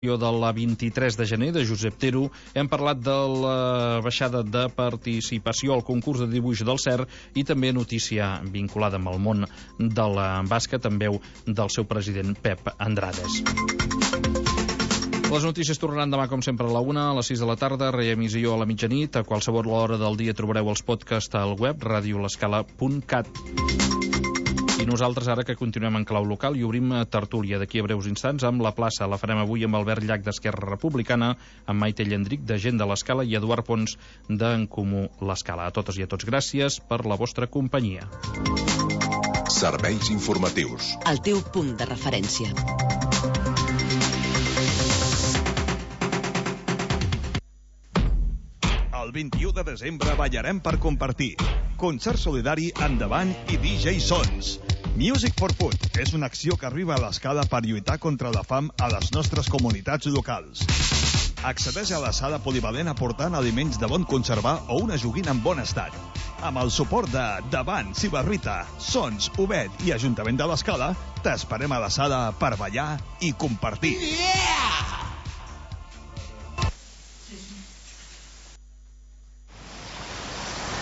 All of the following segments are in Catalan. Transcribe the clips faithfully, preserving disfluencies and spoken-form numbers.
de la vint-i-tres de gener de Josep Tero. Hem parlat de la baixada de participació al concurs de dibuix del C E R i també notícia vinculada amb el món del bàsquet amb veu del seu president Pep Andrades. Les notícies tornaran demà, com sempre, a la una, a les sis de la tarda, reemissió a la mitjanit. A qualsevol hora del dia trobareu els podcasts al web radio l'escala punt cat. I nosaltres, ara que continuem en clau local, i obrim tertúlia d'aquí a breus instants amb la plaça. La farem avui amb Albert Llach d'Esquerra Republicana, amb Maite Llendric de Gent de l'Escala i Eduard Pons d'En Comú l'Escala. A totes i a tots, gràcies per la vostra companyia. Serveis informatius. El teu punt de referència. El vint-i-u de desembre ballarem per compartir. Concert solidari Endavant i D J Sons. Music for Food és una acció que arriba a l'Escala per lluitar contra la fam a les nostres comunitats locals. Accedeix a la sala polivalent aportant aliments de bon conservar o una joguina en bon estat. Amb el suport de Davant, Cibarrita, Sons, Ubet i Ajuntament de l'Escala, t'esperem a la sala per ballar i compartir. Yeah!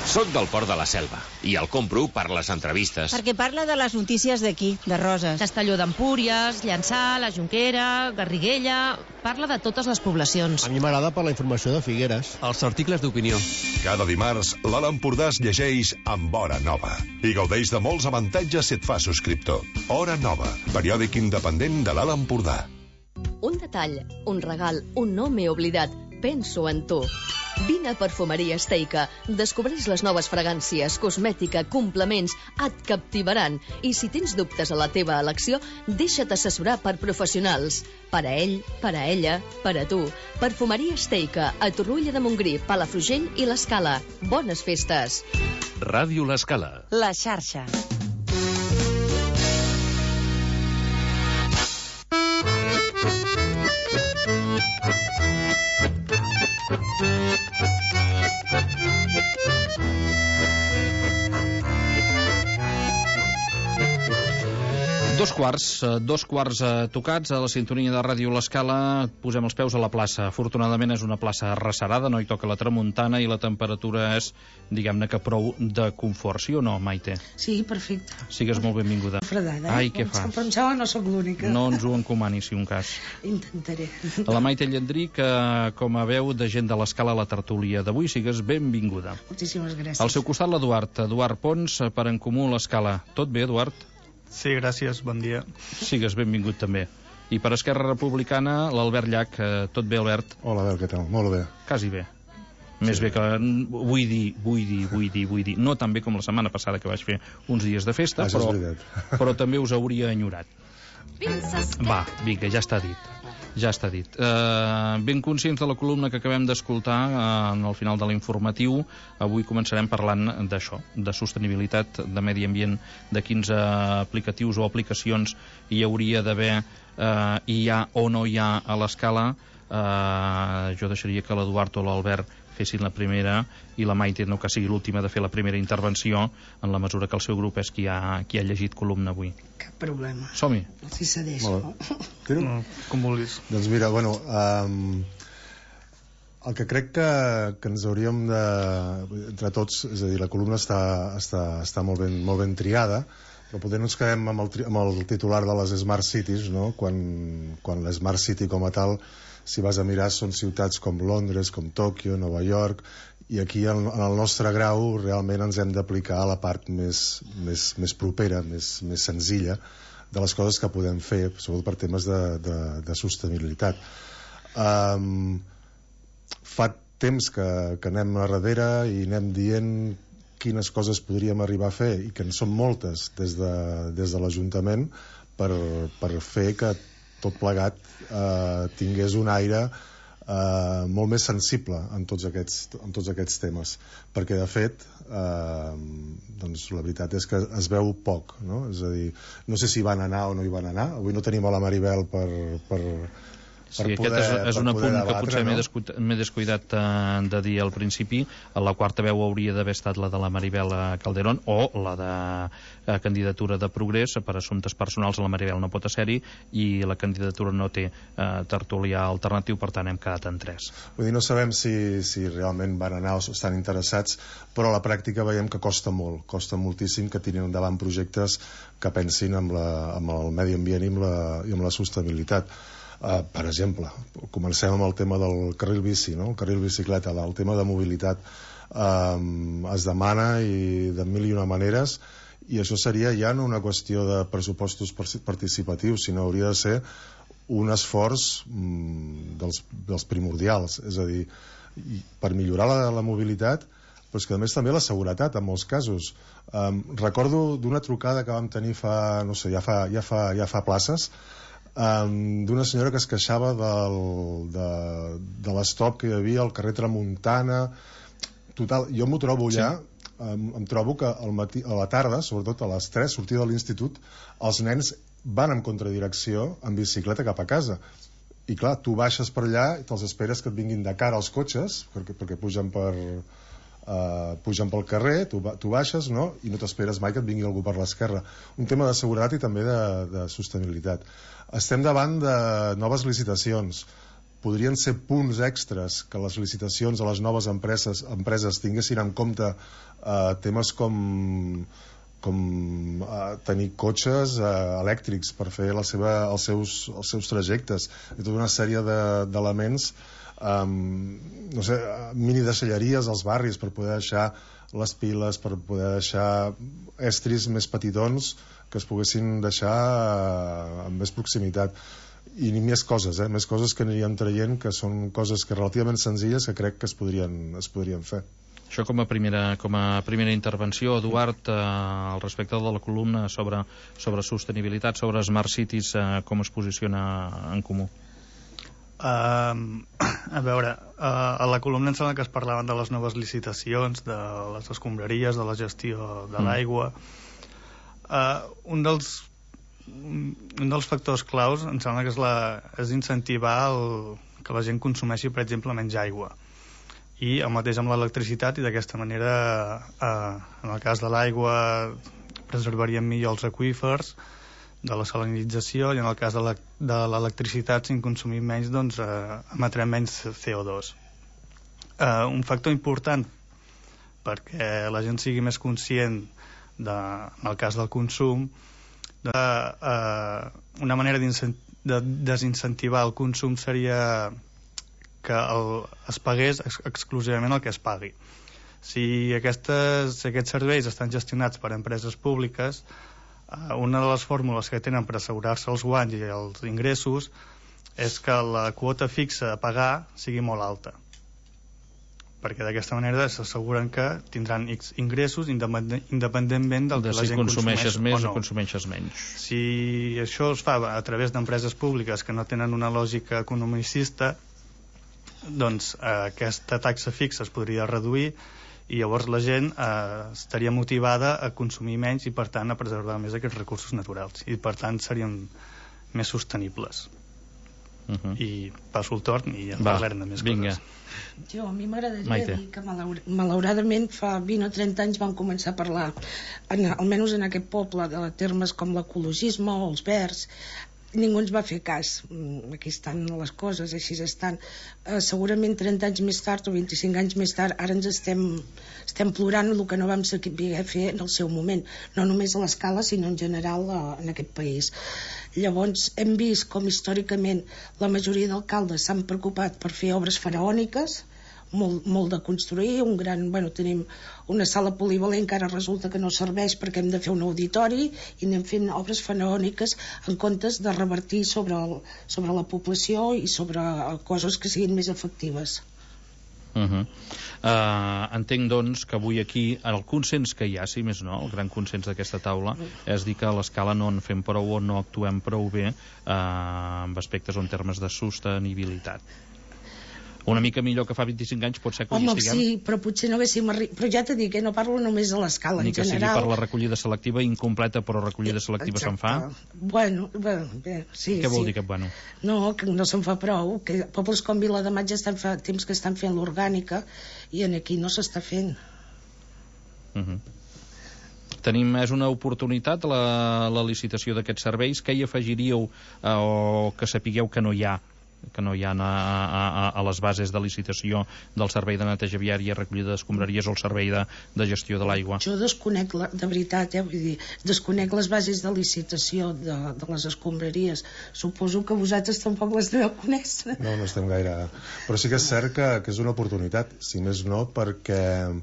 Soc del Port de la Selva i el compro per les entrevistes. Perquè parla de les notícies d'aquí, de Roses. Castelló d'Empúries, Llançà, la Jonquera, Garriguella... Parla de totes les poblacions. A mi m'agrada per la informació de Figueres. Els articles d'opinió. Cada dimarts, l'Alt Empordà es llegeix amb Hora Nova i gaudeix de molts avantatges si et fa subscriptor. Hora Nova, periòdic independent de l'Alt Empordà. Un detall, un regal, un no m'he oblidat. Penso en tu. Vine a Perfumeria Esteica. Descobreix les noves fragàncies, cosmètica, complements, et captivaran. I si tens dubtes a la teva elecció, deixa't assessorar per professionals. Per a ell, per a ella, per a tu. Perfumeria Esteica, a Torroella de Montgrí, Palafrugell i l'Escala. Bones festes. Ràdio l'Escala. La xarxa. Dos quarts, dos quarts tocats a la sintonia de Ràdio l'Escala. Posem els peus a la plaça. Afortunadament és una plaça arrecerada, no hi toca la tramuntana i la temperatura és, diguem-ne, que prou de confort. Sí o no, Maite? Sí, perfecte. Sigues molt benvinguda. Fredada, Ai, eh? què fas? Em pensava, no sóc l'única. No ens ho encomani, si un cas. Intentaré. La Maite Llendric, eh, com a veu de Gent de l'Escala a la tertúlia d'avui, sigues benvinguda. Moltíssimes gràcies. Al seu costat, l'Eduard. Eduard Pons, per En Comú l'Escala. Tot bé, Eduard? Sí, gràcies, bon dia. Sigues benvingut també. I per Esquerra Republicana, l'Albert Llach. Eh, tot bé, Albert? Hola, Albert, què tal? Molt bé. Quasi bé. Més sí. bé que... Vull dir, vull dir, vull dir, vull dir... No tan bé com la setmana passada que vaig fer uns dies de festa, ah, però, però també us hauria enyorat. Va, vinga, ja està dit. Ja està dit. Uh, ben conscients de la columna que acabem d'escoltar uh, al final de l'informatiu, avui començarem parlant d'això, de sostenibilitat, de medi ambient, de quins uh, aplicatius o aplicacions hi hauria d'haver, uh, hi ha o no hi ha a l'Escala. Uh, jo deixaria que l'Eduard o l'Albert fessin la primera i la Maite no que sigui l'última de fer la primera intervenció, en la mesura que el seu grup és qui ha, qui ha llegit columna avui. Cap problema. Som-hi. Si cedeixo. No, com vulguis. Doncs mira, bueno, um, el que crec que, que ens hauríem de... entre tots, és a dir, la columna està, està, està molt, ben, molt ben triada, però potser no ens quedem amb el, amb el titular de les Smart Cities, no? Quan, quan la Smart City com a tal, si vas a mirar, són ciutats com Londres, com Tòquio, Nova York, i aquí en, en el nostre grau realment ens hem d'aplicar a la part més, més, més propera, més, més senzilla de les coses que podem fer, sobretot per temes de, de, de sostenibilitat. Um, fa temps que, que anem a darrere i anem dient quines coses podríem arribar a fer, i que en són moltes des de, des de l'Ajuntament per, per fer que tot plegat eh, tingués un aire eh, molt més sensible en tots aquests, en tots aquests temes, perquè de fet eh, doncs la veritat és que es veu poc, no? És a dir, no sé si van anar o no hi van anar. Avui no tenim a la Maribel per, per, Sí, aquest poder, és, és un apunt debatre, que potser no? m'he descuidat, descuidat uh, de dir al principi. La quarta veu hauria d'haver estat la de la Maribel Calderón o la de uh, candidatura de Progrés. Per assumptes personals la Maribel no pot ser-hi i la candidatura no té uh, tertulià alternatiu, per tant hem quedat en tres. Vull dir, no sabem si, si realment van anar o estan interessats, però a la pràctica veiem que costa molt, costa moltíssim que tirin endavant projectes que pensin amb, la, amb el medi ambient i amb la, i amb la sostenibilitat. Uh, per exemple, comencem amb el tema del carril bici, no? El carril bicicleta, el tema de mobilitat um, es demana i de mil i una maneres, i això seria ja no una qüestió de pressupostos participatius, sinó hauria de ser un esforç um, dels, dels primordials, és a dir, per millorar la, la mobilitat, però és que a més també la seguretat en molts casos. Um, recordo d'una trucada que vam tenir fa, no sé, ja fa, ja fa, ja fa places, Um, d'una senyora que es queixava del, de, de l'estop que hi havia al carrer Tramuntana. Total, jo m'ho trobo allà, sí. um, em trobo que al matí, a la tarda, sobretot a les tres, sortida de l'institut, els nens van en contradirecció en bicicleta cap a casa. I clar, tu baixes per allà i te'ls esperes que et vinguin de cara als cotxes, perquè, perquè pugen per... Uh, pugen pel carrer, tu, tu baixes, no? I no t'esperes mai que et vingui algú per l'esquerra. Un tema de seguretat i també de, de sostenibilitat. Estem davant de noves licitacions. Podrien ser punts extras que les licitacions a les noves empreses, empreses tinguessin en compte uh, temes com, com uh, tenir cotxes uh, elèctrics per fer la seva, els, seus, els seus trajectes i tota una sèrie d'elements de, Um, no sé, mini deixalleries als barris per poder deixar les piles, per poder deixar estris més petitons que es poguessin deixar uh, amb més proximitat, i ni més coses, eh? més coses que aniríem traient, que són coses que relativament senzilles que crec que es podrien, es podrien fer. Això com a primera, com a primera intervenció, Eduard, eh, al respecte de la columna sobre, sobre sostenibilitat, sobre Smart Cities, eh, com es posiciona en comú? Uh, a veure, uh, a la columna em sembla que es parlaven de les noves licitacions, de les escombraries, de la gestió de l'aigua. Uh, un dels un, un dels factors claus em sembla que és, la, és incentivar el, que la gent consumeixi, per exemple, menys aigua. I el mateix amb l'electricitat, i d'aquesta manera, uh, en el cas de l'aigua, preservaríem millor els aqüífers de la salinització, i en el cas de l'electricitat, si en consumim menys, doncs eh, emetrem menys C O dos. Eh, un factor important perquè la gent sigui més conscient de, en el cas del consum, de, eh, una manera de desincentivar el consum seria que el, es pagués ex exclusivament el que es pagui. Si, aquestes, si aquests serveis estan gestionats per empreses públiques, una de les fórmules que tenen per assegurar-se els guanys i els ingressos és que la quota fixa a pagar sigui molt alta, perquè d'aquesta manera s'asseguren que tindran X ingressos independentment del que la gent consumeix més o no. O consumeixes menys. Si això es fa a través d'empreses públiques que no tenen una lògica economicista, doncs eh, aquesta taxa fixa es podria reduir, i llavors la gent eh, estaria motivada a consumir menys i per tant a preservar més aquests recursos naturals, i per tant serien més sostenibles. Uh -huh. I passo el torn i ja parlarem de més vinga. coses. Jo, a mi m'agradaria dir que malaur malauradament fa vint o trenta anys vam començar a parlar, en, almenys en aquest poble, de termes com l'ecologisme o els verds. Ningú ens va fer cas. Aquí estan les coses, així estan. Eh, segurament trenta anys més tard o vint-i-cinc anys més tard ara ens estem, estem plorant el que no vam saber fer en el seu moment, no només a l'escala sinó en general a, en aquest país. Llavors hem vist com històricament la majoria d'alcaldes s'han preocupat per fer obres faraòniques, molt, molt de construir, un gran, bueno, tenim una sala polivalent que ara resulta que no serveix perquè hem de fer un auditori, i anem fent obres faraòniques en comptes de revertir sobre, el, sobre la població i sobre coses que siguin més efectives. Uh -huh. uh, entenc doncs que avui aquí el consens que hi ha, si més no, el gran consens d'aquesta taula és dir que a l'escala no en fem prou o no actuem prou bé uh, en aspectes o en termes de sostenibilitat. Una mica millor que fa vint-i-cinc anys pot ser que Home, hi estiguem. sí, però potser no haguéssim arri... Però ja t'he dit que no parlo només de l'escala, Ni en que sigui general. per la recollida selectiva incompleta, però recollida selectiva se'n fa. Bueno, bueno, bé, sí. Què vol sí. dir que bueno? No, que no se'n fa prou, que pobles com Vilademat ja estan fa temps que estan fent l'orgànica i en aquí no s'està fent. Uh -huh. Tenim, és una oportunitat la, la licitació d'aquests serveis. Què hi afegiríeu eh, o que sapigueu que no hi ha que no hi ha a, a, a les bases de licitació del servei de neteja viària, recollida d'escombraries o el servei de, de gestió de l'aigua? Jo desconec, la, de veritat, eh, vull dir, desconec les bases de licitació de, de les escombraries. Suposo que vosaltres tampoc les deveu conèixer. No, no estem gaire... Però sí que és cert que, que és una oportunitat, si més no, perquè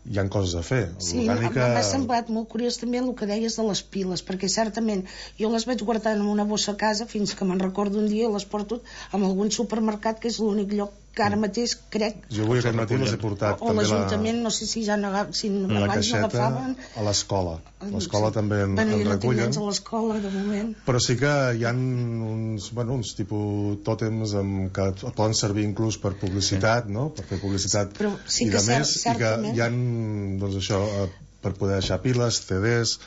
hi ha coses a fer. Sí, m'ha semblat molt curiós també el que deies de les piles, perquè certament jo les vaig guardar en una bossa a casa fins que me'n recordo un dia i les porto en algun supermercat, que és l'únic lloc que ara mateix crec... Jo avui aquest matí les he portat o l'Ajuntament, no sé si ja n'agafen, si la abans n'agafaven... a l'escola. L'escola sí. també en, bueno, en jo recullen. No tinc a l'escola, de moment. Però sí que hi ha uns, bueno, uns tipus tòtems amb, que poden servir inclús per publicitat, sí. no? Per fer publicitat Però sí i que de més, cert, i que hi ha, doncs això, per poder deixar piles, C Ds,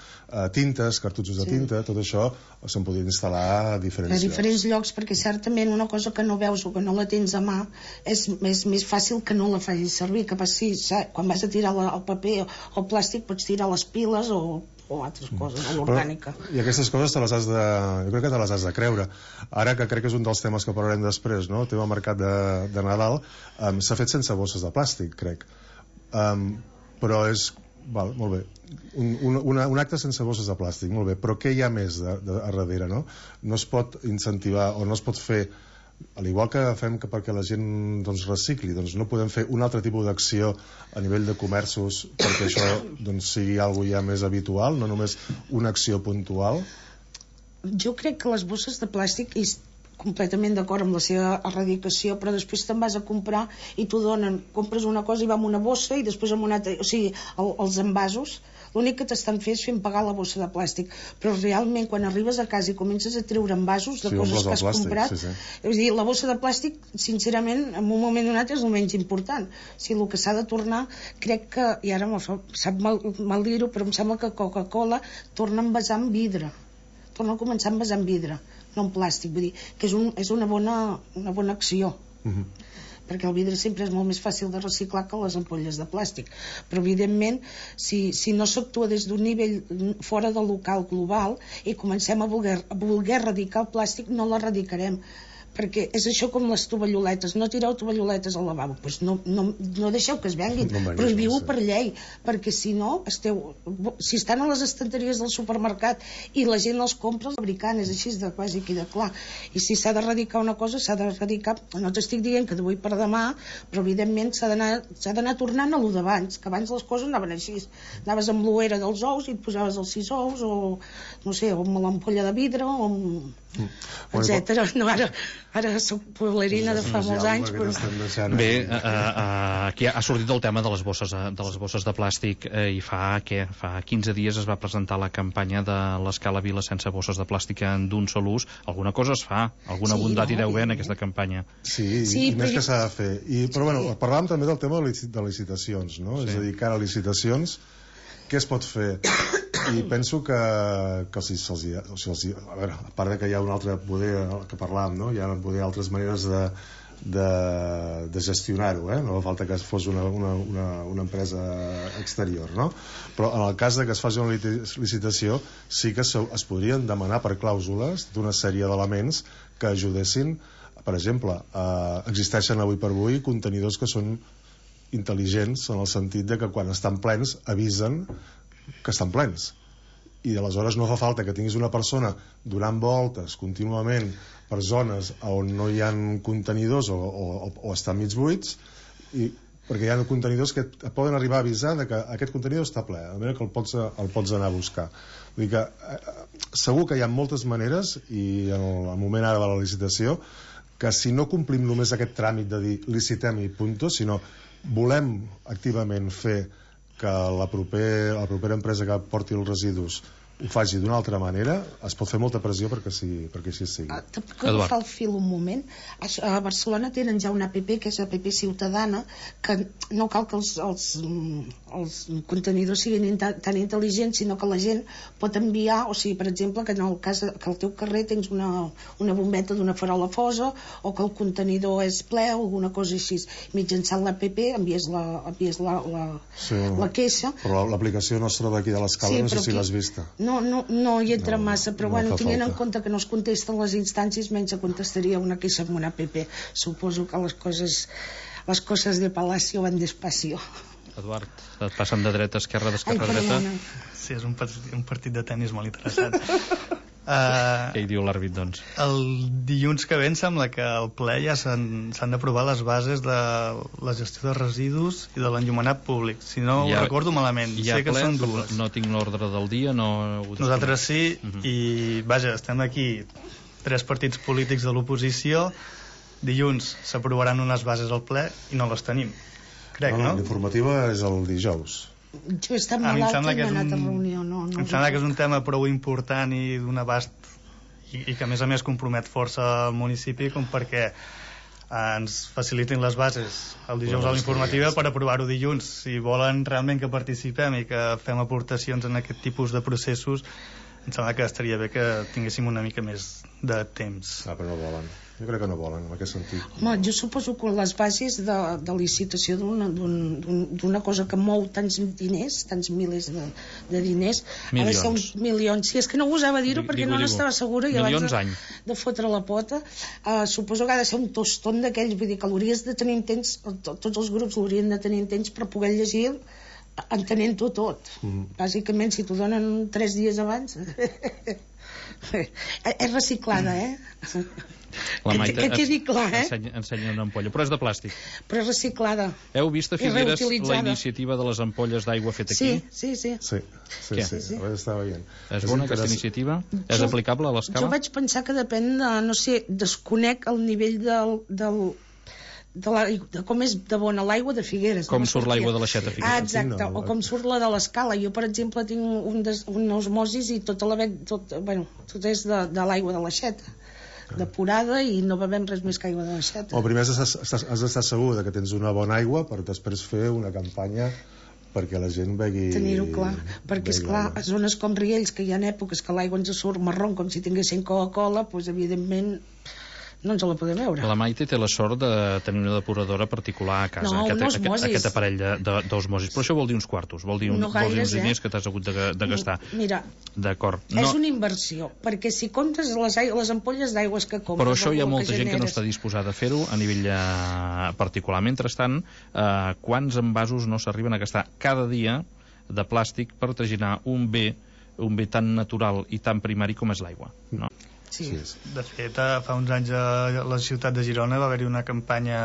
tintes, cartutxos de tinta, sí. tot això se'n podria instal·lar a diferents, a diferents llocs. llocs, perquè certament una cosa que no veus o que no la tens a mà és més, més fàcil que no la facis servir, que passi, quan vas a tirar el paper o el plàstic pots tirar les piles o, o altres coses, o l'orgànica. I aquestes coses te les has de, jo crec que te les has de creure. Ara, que crec que és un dels temes que parlarem després, no? El tema mercat de, de Nadal, um, s'ha fet sense bosses de plàstic, crec. Um, però és... Val, molt bé. Un, un, una, un acte sense bosses de plàstic, molt bé, però què hi ha més de, de, a darrere, no? No es pot incentivar o no es pot fer, al igual que fem que perquè la gent doncs, recicli, doncs no podem fer un altre tipus d'acció a nivell de comerços perquè això doncs, sigui algo ja més habitual, no només una acció puntual. Jo crec que les bosses de plàstic és completament d'acord amb la seva erradicació, però després te'n vas a comprar i t'ho donen, compres una cosa i va amb una bossa i després amb una altra, o sigui, el, els envasos, l'únic que t'estan fent és fent pagar la bossa de plàstic, però realment quan arribes a casa i comences a treure envasos de sí, coses que has plàstic, comprat, sí, sí. és dir, la bossa de plàstic, sincerament, en un moment donat és el menys important. O sigui, el que s'ha de tornar, crec que, i ara me fa, sap mal, mal dir-ho, però em sembla que Coca-Cola torna a envasar en vidre, torna a començar a envasar en vidre, no en plàstic, vull dir, que és, un, és una, bona, una bona acció. Uh-huh. Perquè el vidre sempre és molt més fàcil de reciclar que les ampolles de plàstic, però evidentment si, si no s'actua des d'un nivell fora del local global i comencem a voler, a voler erradicar el plàstic, no l'erradicarem, perquè és això com les tovalloletes, no tireu tovalloletes al lavabo, pues no, no, no deixeu que es venguin, no prohibiu-ho per llei, perquè si no esteu, si estan a les estanteries del supermercat i la gent els compra, els fabricant, és així de quasi aquí de clar, i si s'ha d'erradicar una cosa s'ha d'erradicar, no t'estic dient que d'avui per demà, però evidentment s'ha d'anar tornant a lo d'abans, que abans les coses anaven així, anaves amb l'ouera dels ous i et posaves els sis ous o no sé, o amb l'ampolla de vidre o amb etcètera. No, ara, ara soc poblerina de fa molts anys, però... Bé, uh, uh, aquí ha sortit el tema de les bosses, de les bosses de plàstic eh, i fa, què? Fa quinze dies es va presentar la campanya de l'Escala Vila sense bosses de plàstic d'un sol ús. Alguna cosa es fa, alguna sí, bondat no, hi deu haver en aquesta campanya. Sí, sí i més que s'ha de fer. I, però sí. bueno, parlàvem també del tema de licitacions, no? Sí. És a dir, cara a licitacions, què es pot fer? I penso que, que si se'ls hi, o sigui, els hi, a veure, a part de que hi ha un altre poder que parlàvem, no? Hi ha poder altres maneres de, de, de gestionar-ho, eh? No fa falta que fos una, una, una, una empresa exterior, no? Però en el cas de que es faci una licitació sí que es podrien demanar per clàusules d'una sèrie d'elements que ajudessin, per exemple, eh, existeixen avui per avui contenidors que són intel·ligents en el sentit de que quan estan plens avisen que estan plens i aleshores no fa falta que tinguis una persona donant voltes contínuament per zones on no hi ha contenidors o, o, o estan mig buits i, perquè hi ha contenidors que et poden arribar a avisar de que aquest contenidor està ple, de manera que el pots, el pots anar a buscar. Vull dir que eh, segur que hi ha moltes maneres i en el, el moment ara de la licitació que si no complim només aquest tràmit de dir licitem i punto, sinó volem activament fer que la, proper, la propera empresa que porti els residus ho faci d'una altra manera, es pot fer molta pressió perquè, sí, perquè així sigui. Ah, te puc agafar el fil un moment? A, a Barcelona tenen ja una app, que és app ciutadana, que no cal que els, els, els contenidors siguin tan intel·ligents, sinó que la gent pot enviar, o sigui, per exemple, que en el cas de, que al teu carrer tens una, una bombeta d'una farola fosa, o que el contenidor és ple, o alguna cosa així. Mitjançant l'app envies la, envies la, la, sí, la queixa. Però l'aplicació nostra d'aquí de l'escala, sí, no sé si l'has vista. No, no, no hi entra no, massa, però no bueno, tenint en falta. compte que no es contesten les instàncies, menys se contestaria una queixa amb una app. Suposo que les coses, les coses de Palacio van despacio. Eduard, et passen de dreta a esquerra, d'esquerra a dreta? Sí, és un, un partit de tennis molt interessant. Uh, Què hi diu l'àrbit, doncs? El dilluns que ve em sembla que al ple ja s'han d'aprovar les bases de la gestió de residus i de l'enllumenat públic. Si no ja, ho recordo malament, sé que ple, són dues. No tinc l'ordre del dia, no... Nosaltres sí, uh -huh. i vaja, estem aquí tres partits polítics de l'oposició. Dilluns s'aprovaran unes bases al ple i no les tenim. Crec, no? no? L'informativa és el dijous. Jo he estat malalta i no he anat a reunió. No, no em sembla que és un tema prou important i d'un abast i, i que a més a més compromet força el municipi com perquè eh, ens facilitin les bases el dijous a l'informativa per aprovar-ho dilluns. Si volen realment que participem i que fem aportacions en aquest tipus de processos, em sembla que estaria bé que tinguéssim una mica més de temps. Ah, però no volen. Jo crec que no volen, en aquest sentit. Home, jo suposo que les bases de, de licitació d'una un, cosa que mou tants diners, tants milers de, de diners, milions. Ha de ser uns milions. Si és que no gosava dir-ho perquè no n'estava segura i abans de, de fotre la pota, uh, suposo que ha de ser un tostón d'aquells, vull dir que l'hauries de tenir temps, tots els grups l'haurien de tenir temps per poder llegir entenent-ho tot. Mm. Bàsicament, si t'ho donen tres dies abans... és reciclada, eh? La Maite que quedi clar, eh? Ensenya, ensenya una ampolla, però és de plàstic. Però és reciclada. Heu vist a Figueres la iniciativa de les ampolles d'aigua feta aquí? Sí, sí, sí. Sí, sí, Què? sí, sí. Estava veient. És bona aquesta iniciativa? Jo, és aplicable a l'escala? Jo vaig pensar que depèn de, no sé, desconec el nivell del... del De, la, de com és de bona l'aigua de Figueres. Com surt l'aigua de l'aixeta Figueres. Ah, exacte, o com surt la de l'escala. Jo, per exemple, tinc un, des, un osmosis i tota la bec, tot, bueno, tot és de, de l'aigua de l'aixeta, depurada, i no bevem res més que aigua de l'aixeta. O primer has d'estar segur que tens una bona aigua per després fer una campanya perquè la gent begui... Tenir-ho clar, perquè esclar, a zones com Riells, que hi ha èpoques que l'aigua ens surt marró com si tinguessin Coca-Cola, doncs evidentment no ens la podem veure. La Maite té la sort de tenir una depuradora particular a casa, no, aquest, aquest, aquest aparell d'osmosis, però això vol dir uns quartos, vol dir, un, no gaires, vol dir uns diners eh? que t'has hagut de, de gastar. Mira, d'acord. No. És una inversió, perquè si comptes les, les ampolles d'aigües que compres... Però això hi ha molta que gent generes... que no està disposada a fer-ho a nivell eh, particular. Mentrestant, eh, quants envasos no s'arriben a gastar cada dia de plàstic per traginar un bé, un bé tan natural i tan primari com és l'aigua, no? Sí. De fet, fa uns anys a la ciutat de Girona va haver-hi una campanya,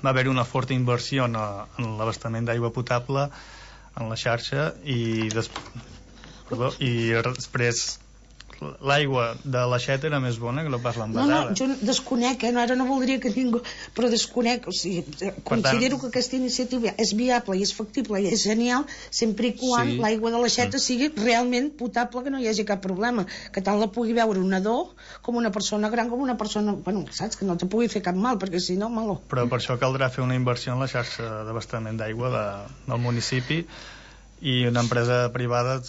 va haver-hi una forta inversió en, en l'abastament d'aigua potable en la xarxa i, des... Perdó, i després l'aigua de l'aixeta era més bona que no pas l'envasada. No, no, jo desconec, eh? no, ara no voldria que ningú... Però desconec, o sigui, considero tant... que aquesta iniciativa és viable i és factible i és genial, sempre i quan sí. l'aigua de l'aixeta mm. sigui realment potable, que no hi hagi cap problema, que tant la pugui veure un nadó com una persona gran, com una persona... Bueno, saps? Que no te pugui fer cap mal, perquè si no, malo. Però per això caldrà fer una inversió en la xarxa d'abastament d'aigua de, del municipi, i una empresa privada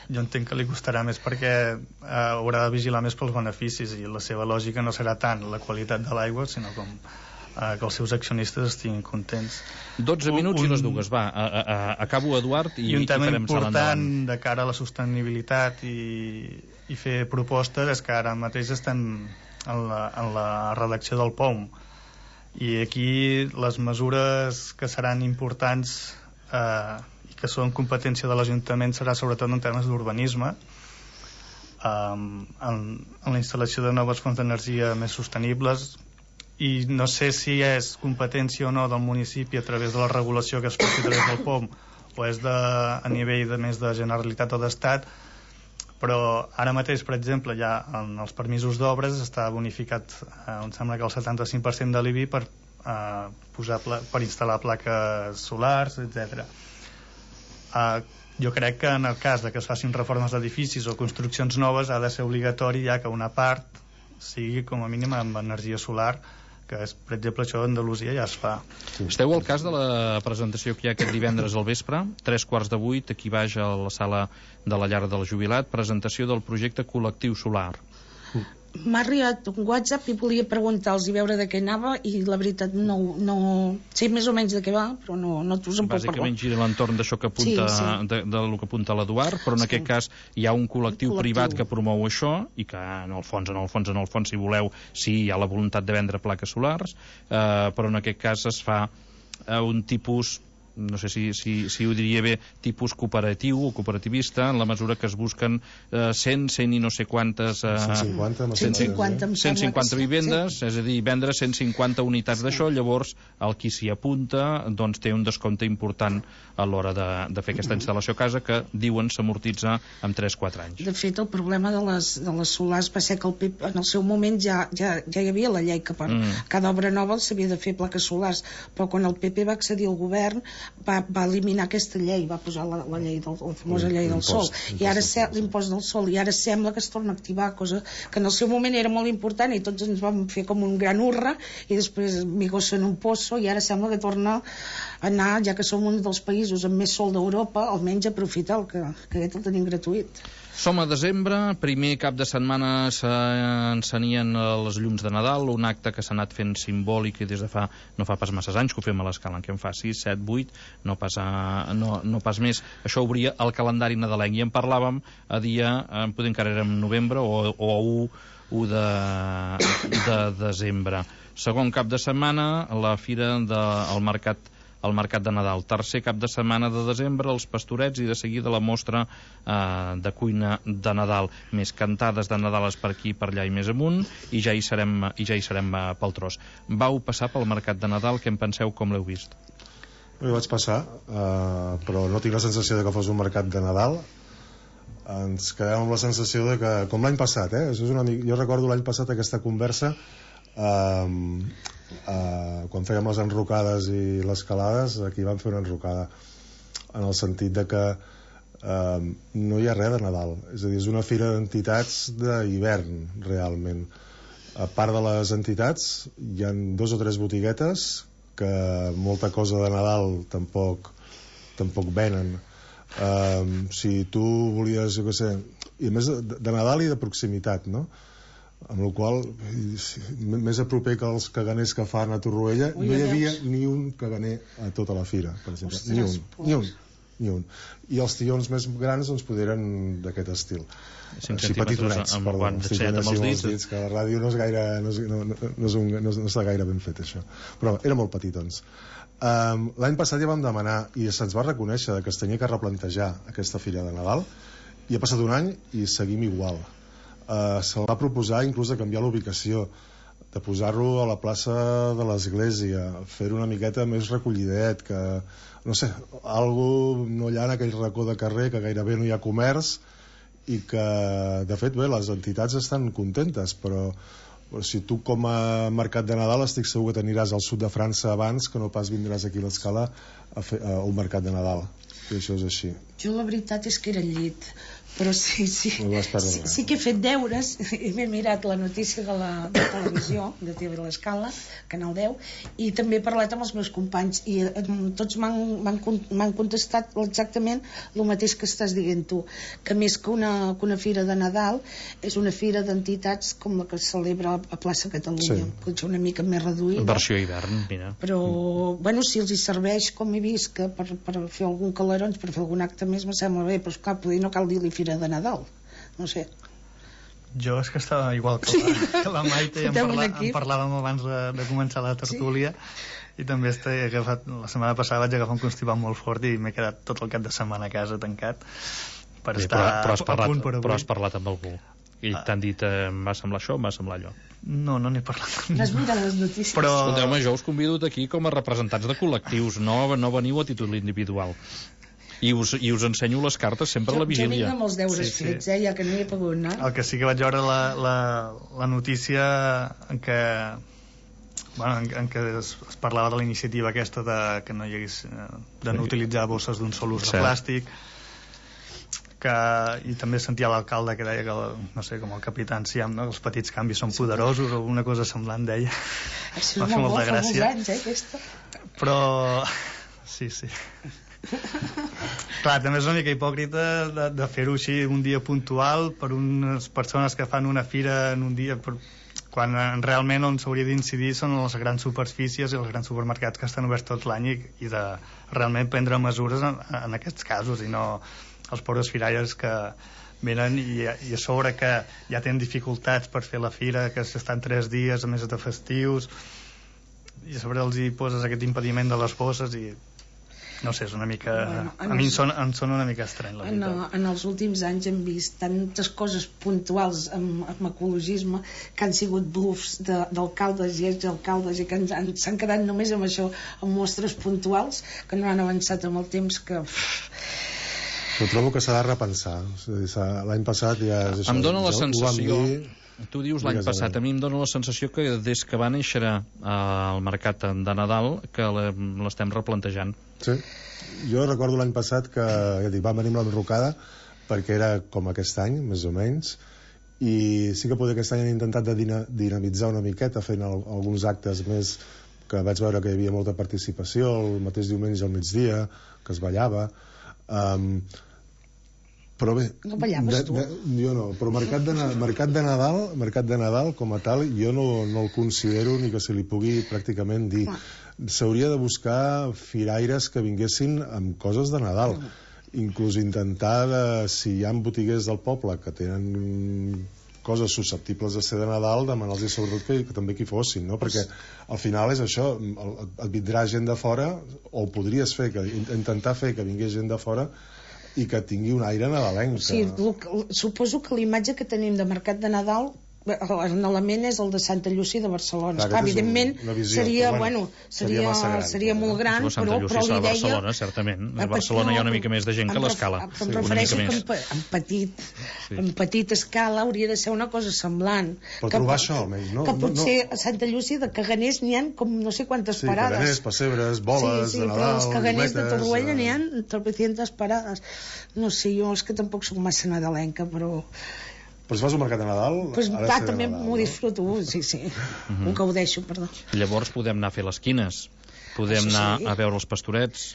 jo entenc que li costarà més perquè eh, haurà de vigilar més pels beneficis i la seva lògica no serà tant la qualitat de l'aigua sinó com eh, que els seus accionistes estiguin contents. dotze minuts un, i les dues, va, a, a, a, acabo Eduard i, i un tema i farem important de cara a la sostenibilitat i, i fer propostes és que ara mateix estem en la, en la redacció del P O M i aquí les mesures que seran importants eh, que són competència de l'Ajuntament serà sobretot en temes d'urbanisme um, en, en la instal·lació de noves fonts d'energia més sostenibles i no sé si és competència o no del municipi a través de la regulació que es faci a través del P O M o és de, a nivell de més de Generalitat o d'Estat, però ara mateix, per exemple, ja en els permisos d'obres està bonificat eh, em sembla que el setanta-cinc per cent de l'I B I per, eh, posar pla, per instal·lar plaques solars, etcètera. Uh, jo crec que en el cas de que es facin reformes d'edificis o construccions noves ha de ser obligatori ja que una part sigui com a mínim amb energia solar, que és, per exemple, això d'Andalusia ja es fa. Esteu al cas de la presentació que hi ha aquest divendres al vespre, tres quarts de vuit, aquí baix a la sala de la llar del jubilat, presentació del projecte Col·lectiu Solar. M'ha arribat un WhatsApp i volia preguntar-los i veure de què anava i la veritat no, no sé més o menys de què va, però no, no us en puc parlar. Bàsicament gira l'entorn d'això que apunta, sí, sí. De, de lo que apunta l'Eduard, però en sí. aquest cas hi ha un col·lectiu, un col·lectiu privat que promou això i que en el fons, en el fons, en el fons, si voleu, sí, hi ha la voluntat de vendre plaques solars, eh, però en aquest cas es fa eh, un tipus, no sé si, si, si ho diria bé, tipus cooperatiu o cooperativista, en la mesura que es busquen eh, cent, cent i no sé quantes... Eh, cent cinquanta, cent cinquanta, cent cinquanta vivendes, sí. És a dir, vendre cent cinquanta unitats sí. d'això, llavors el qui s'hi apunta doncs té un descompte important a l'hora de, de fer aquesta instal·lació a casa que diuen s'amortitza en tres quatre anys. De fet, el problema de les, de les solars va ser que el P P, en el seu moment ja, ja, ja hi havia la llei que per mm. cada obra nova s'havia de fer plaques solars, però quan el P P va accedir al govern Va, va eliminar aquesta llei, va posar la, la llei del, la famosa llei del sol, i ara l'impost del sol, i ara sembla que es torna a activar, cosa que en el seu moment era molt important i tots ens vam fer com un gran hurra i després migos en un pozo i ara sembla que torna a anar, ja que som un dels països amb més sol d'Europa, almenys aprofitar el que, que aquest el tenim gratuït. Som a desembre, primer cap de setmana s'encenien les llums de Nadal, un acte que s'ha anat fent simbòlic i des de fa, no fa pas masses anys que ho fem a l'escala, en què en fa sis, set, vuit, no pas, a, no, no pas més. Això obria el calendari nadalenc i en parlàvem a dia, podem encara era en novembre o, o a u de, de desembre. Segon cap de setmana, la fira del mercat el mercat de Nadal. Tercer cap de setmana de desembre, els pastorets i de seguida la mostra eh, de cuina de Nadal. Més cantades de Nadales per aquí, per allà i més amunt, i ja hi serem, i ja hi serem eh, pel tros. Vau passar pel mercat de Nadal, què en penseu, com l'heu vist? Jo vaig passar, eh, però no tinc la sensació de que fos un mercat de Nadal. Ens quedem amb la sensació de que, com l'any passat, eh? Això és una mica, jo recordo l'any passat aquesta conversa eh, Uh, quan fèiem les enrocades i les calades, aquí vam fer una enrocada en el sentit de que uh, no hi ha res de Nadal, és a dir, és una fira d'entitats d'hivern realment. A part de les entitats hi ha dos o tres botiguetes que molta cosa de Nadal tampoc tampoc venen. Uh, si tu volies, jo què sé, i a més de, de Nadal i de proximitat, no? Amb la qual més a proper que els caganers que fan a Torroella no hi havia ni un caganer a tota la fira, per exemple. Ostres, ni un, ni un, ni un. I els tions més grans doncs poderen d'aquest estil. Així petitonets, perdó, cinquanta amb els dits, que la ràdio no és gaire, no, és, no, no, no, és un, no, no està gaire ben fet això, però era molt petitons. Um, l'any passat ja vam demanar i se'ns va reconèixer que es tenia que replantejar aquesta fira de Nadal i ha passat un any i seguim igual. Uh, se va proposar inclús de canviar l'ubicació, de posar-lo a la plaça de l'església, fer-ho una miqueta més recollidet, que no sé, algú no hi ha en aquell racó de carrer que gairebé no hi ha comerç i que de fet bé, les entitats estan contentes, però, però si tu com a mercat de Nadal estic segur que t'aniràs al sud de França abans que no pas vindràs aquí a l'Escala a fer a un mercat de Nadal, i això és així. Jo la veritat és que era al llit, però sí, sí, sí, sí que he fet deures i m'he mirat la notícia de la de televisió, de T V l'Escala, Canal deu, i també he parlat amb els meus companys i eh, tots m'han contestat exactament el mateix que estàs dient tu, que més que una, que una fira de Nadal és una fira d'entitats com la que es celebra a Plaça Catalunya, sí. Potser una mica més reduïda. Versió hivern, mira. Però, bueno, si els hi serveix, com he vist, que per, per fer algun calarons, per fer algun acte més, me sembla bé, però esclar, poder no cal dir-li fira de Nadal, no sé. Jo és que estava igual que la, que la Maite i en, parla, en parlàvem abans de, de començar la tertúlia, sí. I també he agafat, la setmana passada vaig agafar un constipat molt fort i m'he quedat tot el cap de setmana a casa tancat per sí, estar però, però has parlat, a punt per avui. Però has parlat amb algú i ah. t'han dit eh, em va semblar això, em va semblar allò. No, no n'he parlat. No has mirat les notícies. Però... Escolteu-me, jo us convido aquí com a representants de col·lectius, no, no veniu a títol individual. I us, i us ensenyo les cartes sempre jo, a la vigília. Jo vinc amb els deures sí, fets, sí. eh, ja que no hi he pogut anar. El que sí que vaig veure la, la, la notícia en què bueno, en, en què es, es parlava de la iniciativa aquesta de que no hi hagués eh, de no utilitzar bosses d'un sol ús de plàstic, que, i també sentia l'alcalde que deia que, no sé, com el capità Enciam, no? Els petits canvis són poderosos o una cosa semblant, deia. Això és molt bo, fa molts anys, eh, aquesta. Però sí, sí. Clar, també és una mica hipòcrita de, de fer-ho així un dia puntual per unes persones que fan una fira en un dia, per, quan realment on s'hauria d'incidir són les grans superfícies i els grans supermercats que estan oberts tot l'any i, i de realment prendre mesures en, en aquests casos i no els pobres firaires que venen i, i a sobre que ja tenen dificultats per fer la fira, que estan tres dies a més de festius, i a sobre els hi poses aquest impediment de les bosses i no sé, és una mica... Bueno, a mi em sona, em sona una mica estrany, la veritat. En, en els últims anys hem vist tantes coses puntuals amb, amb ecologisme que han sigut blufs d'alcaldes i exalcaldes i que s'han quedat només amb això, amb mostres puntuals, que no han avançat amb el temps, que... Però trobo que s'ha de repensar. L'any passat ja... És em dóna la sensació... Dir... Tu dius l'any passat, a mi em dóna la sensació que des que va néixer el mercat de Nadal que l'estem replantejant. Sí, jo recordo l'any passat que ja dic, va venir amb l'enrocada perquè era com aquest any, més o menys, i sí que potser aquest any han intentat de dinamitzar una miqueta fent el, alguns actes més, que vaig veure que hi havia molta participació el mateix diumenge al migdia, que es ballava, um, però bé, no ballaves tu? De, de, jo no, però mercat de, mercat de Nadal mercat de Nadal com a tal jo no, no el considero ni que se li pugui pràcticament dir. S'hauria de buscar firaires que vinguessin amb coses de Nadal, inclús intentar de, si hi ha botiguers del poble que tenen coses susceptibles de ser de Nadal, demanar-los sobretot que, que també que hi fossin, no? Perquè al final és això, el, et vindrà gent de fora, o podries fer que, intentar fer que vingués gent de fora i que tingui un aire nadalenc. Sí, que... suposo que l'imatge que tenim de mercat de Nadal, l'element és el de Santa Llúcia de Barcelona. Clar, evidentment un, visió, seria, bueno, seria, seria, gran, seria molt gran, però, Santa però li deia... Barcelona, certament. A Barcelona hi ha una mica més de gent que a l'Escala. Però em refereixo que en, en, petit, sí. en petita escala hauria de ser una cosa semblant. Però que, trobar això, almenys, no? Que potser no, no. a Santa Llúcia de caganers n'hi ha com no sé quantes sí, parades. Sí, caganers, pessebres, boles, sí, sí, de Nadal, però els caganers de Torroella uh... n'hi ha tropecientas parades. No sé, jo és que tampoc soc massa nadalenca, però... Però si fas un mercat de Nadal... Pues, va, també m'ho disfruto, sí, sí. Uh-huh. Ho gaudeixo, perdó. Llavors podem anar a fer les quines, podem Això anar sí. a veure els pastorets,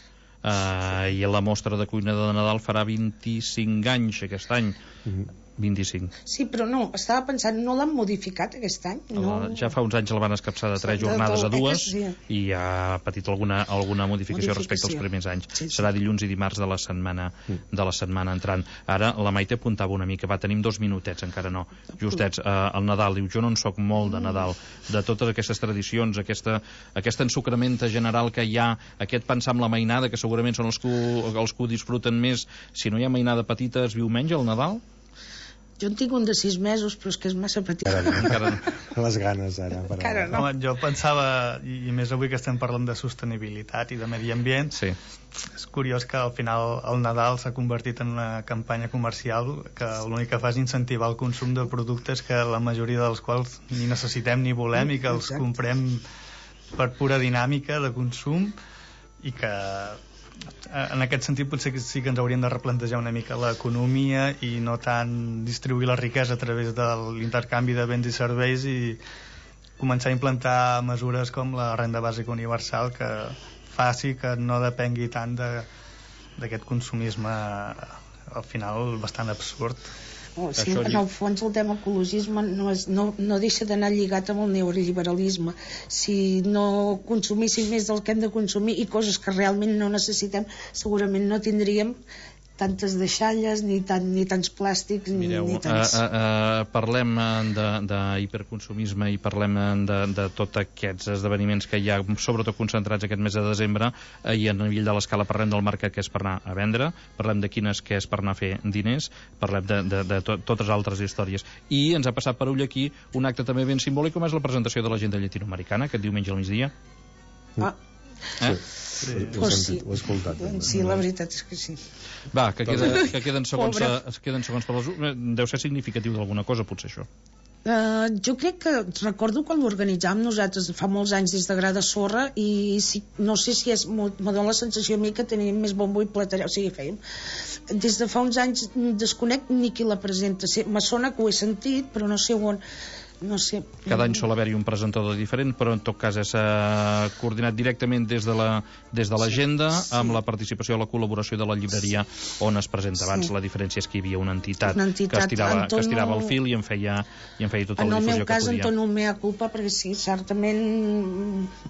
uh, i la mostra de cuina de Nadal farà vint-i-cinc anys aquest any. Uh-huh. vint-i-cinc. Sí, però no, estava pensant, no l'han modificat aquest any? No... Ja fa uns anys el van escapçar de tres de, jornades de, a dues sí. i ha patit alguna, alguna modificació, modificació respecte als primers anys. Sí, sí. Serà dilluns i dimarts de la setmana mm. de la setmana entrant. Ara la Maite apuntava una mica, va, tenim dos minutets, encara no, justets, eh, el Nadal, diu, jo no en soc molt de Nadal, de totes aquestes tradicions, aquesta, aquesta ensucramenta general que hi ha, aquest pensar amb la mainada, que segurament són els que, els que ho disfruten més, si no hi ha mainada petita es viu menys el Nadal? Jo en tinc un de sis mesos, però és que és massa petit. Encara no. Les ganes, ara. Encara no. Home, jo pensava, i, i més avui que estem parlant de sostenibilitat i de medi ambient, sí. És curiós que al final el Nadal s'ha convertit en una campanya comercial que l'únic que fa és incentivar el consum de productes que la majoria dels quals ni necessitem ni volem i que els Exacte. comprem per pura dinàmica de consum i que... En aquest sentit potser que sí que ens hauríem de replantejar una mica l'economia i no tant distribuir la riquesa a través de l'intercanvi de béns i serveis i començar a implantar mesures com la renda bàsica universal que faci que no depengui tant d'aquest consumisme al final bastant absurd. Oh, sí, en el fons el tema ecologisme no, és, no, no deixa d'anar lligat amb el neoliberalisme. Si no consumíssim més del que hem de consumir i coses que realment no necessitem, segurament no tindríem tantes deixalles ni, tant, ni tants plàstics. Mireu, ni tants... uh, uh, uh, parlem d'hiperconsumisme i parlem de, de tots aquests esdeveniments que hi ha, sobretot concentrats aquest mes de desembre, uh, i a nivell de l'escala parlem del mercat que és per anar a vendre, parlem de quines que és per anar a fer diners, parlem de, de, de to, totes altres històries. I ens ha passat per ull aquí un acte també ben simbòlic com és la presentació de l'agenda llatinoamericana aquest diumenge al migdia. Ah. Eh? Sí, ho he sentit, ho he escoltat. Sí, la veritat és que sí. Va, que, queda, que queden segons, a, queden segons per les... Deu ser significatiu d'alguna cosa, potser, això. Uh, jo crec que recordo quan l'organitzàvem nosaltres fa molts anys des de Gra de Sorra i si, no sé si és m'ho dona la sensació a mi que tenim més bombo i platereu, o sigui, fèiem des de fa uns anys desconec ni qui la presenta, me sona que ho he sentit però no sé on no sé. Cada any sol haver-hi un presentador diferent, però en tot cas és uh, coordinat directament des de la des de l'agenda, sí, sí. amb la participació i la col·laboració de la llibreria on es presenta abans. Sí. La diferència és que hi havia una entitat, una entitat que, estirava, Antonio... que estirava el fil i en feia, i en feia tota la difusió que podia. En el meu cas, Antonio, mea culpa, perquè sí, certament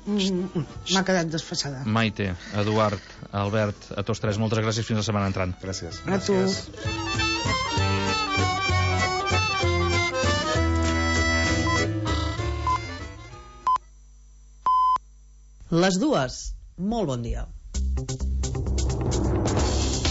m'ha quedat desfasada. Maite, Eduard, Albert, a tots tres, moltes gràcies, fins la setmana entrant. Gràcies. A tu. Les dues. Molt bon dia.